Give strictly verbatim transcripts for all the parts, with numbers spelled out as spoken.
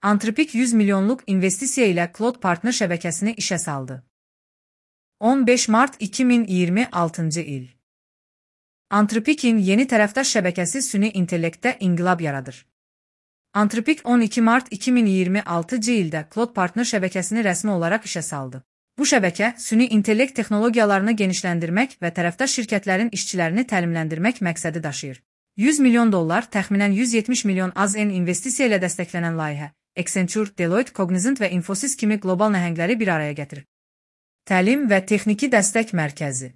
Anthropic yüz milyonluq investisiya ilə Claude Partner şəbəkəsini işə saldı. on beş mart iki min iyirmi altıncı il. Anthropic'in yeni tərəfdaş şəbəkəsi süni intellektdə inqilab yaradır. Anthropic on iki mart iki min iyirmi altıncı ildə Claude Partner şəbəkəsini rəsmi olaraq işə saldı. Bu şəbəkə, süni intellekt texnologiyalarını genişləndirmək və tərəfdaş şirkətlərin işçilərini təlimləndirmək məqsədi daşıyır. yüz milyon dollar, təxminən yüz yetmiş milyon A Z N investisiya ilə dəstəklənən layihə, Accenture, Deloitte, Cognizant və Infosys kimi qlobal nəhəngləri bir araya gətirir. Təlim və texniki dəstək mərkəzi.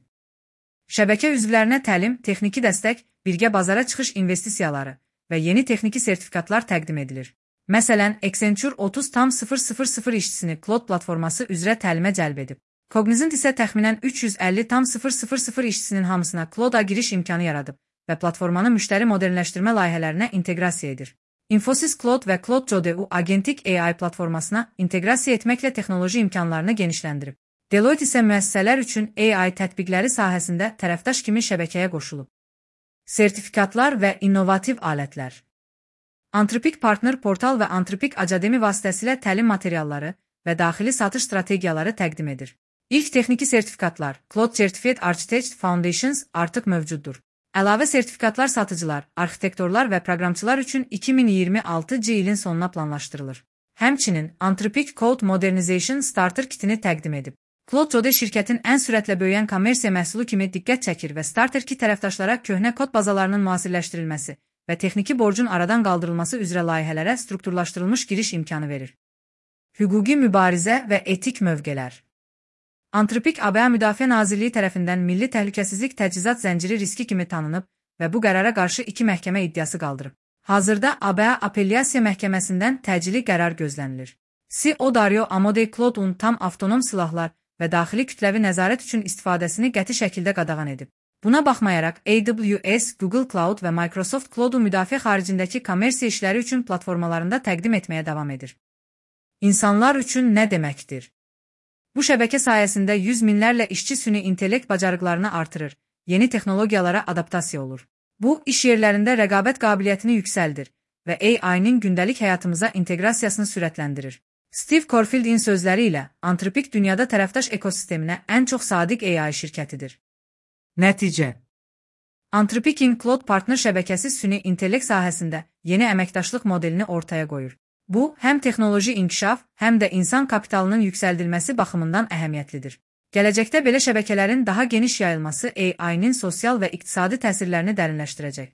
Şəbəkə üzvlərinə təlim, texniki dəstək, birgə bazara çıxış investisiyaları və yeni texniki sertifikatlar təqdim edilir. Məsələn, Accenture otuz min işçisini Claude platforması üzrə təlimə cəlb edib. Cognizant isə təxminən üç yüz əlli min işçisinin hamısına Claude-a giriş imkanı yaradıb və platformanı müştəri modernləşdirmə layihələrinə inteqrasiya edir. Infosys Claude və Claude Jode-u agentik A I platformasına inteqrasiya etməklə texnoloji imkanlarını genişləndirib. Deloitte isə müəssisələr üçün A I tətbiqləri sahəsində tərəfdaş kimi şəbəkəyə qoşulub. Sertifikatlar və innovativ alətlər. Anthropic Partner portal və Anthropic Academy vasitəsilə təlim materialları və daxili satış strategiyaları təqdim edir. İlk texniki sertifikatlar, Claude Certified Architect Foundations artıq mövcuddur. Əlavə sertifikatlar satıcılar, arxitektorlar və proqramçılar üçün iki min iyirmi altıncı ilin sonuna planlaşdırılır. Həmçinin, Anthropic Code Modernization Starter kitini təqdim edib. Claude Jode şirkətin ən sürətlə böyüyən kommersiya məhsulu kimi diqqət çəkir və Starter kit tərəfdaşlara köhnə kod bazalarının müasirləşdirilməsi və texniki borcun aradan qaldırılması üzrə layihələrə strukturlaşdırılmış giriş imkanı verir. Hüquqi mübarizə və etik mövqelər. Anthropic A B A Müdafiə Nazirliyi tərəfindən milli təhlükəsizlik təchizat zənciri riski kimi tanınıb və bu qərara qarşı iki məhkəmə iddiası qaldırıb. Hazırda A B A Apellyasiya Məhkəməsindən təcili qərar gözlənilir. C E O Dario Amodei Claude-un tam avtonom silahlar və daxili kütləvi nəzarət üçün istifadəsini qəti şəkildə qadağan edib. Buna baxmayaraq, A W S, Google Cloud və Microsoft Cloud-u müdafiə xaricindəki kommersiya işləri üçün platformalarında təqdim etməyə davam edir. İnsanlar üçün nə deməkdir? Bu şəbəkə sayəsində yüz minlərlə işçi süni intellekt bacarıqlarını artırır, yeni texnologiyalara adaptasiya olur. Bu, iş yerlərində rəqabət qabiliyyətini yüksəldir və A I-nin gündəlik həyatımıza inteqrasiyasını sürətləndirir. Steve Corfieldin sözləri ilə, Anthropic dünyada tərəfdaş ekosisteminə ən çox sadiq A I şirkətidir. Nəticə. Anthropic'in Claude Partner şəbəkəsi süni intellekt sahəsində yeni əməkdaşlıq modelini ortaya qoyur. Bu, həm texnoloji inkişaf, həm də insan kapitalının yüksəldilməsi baxımından əhəmiyyətlidir. Gələcəkdə belə şəbəkələrin daha geniş yayılması A I-nin sosial və iqtisadi təsirlərini dərinləşdirəcək.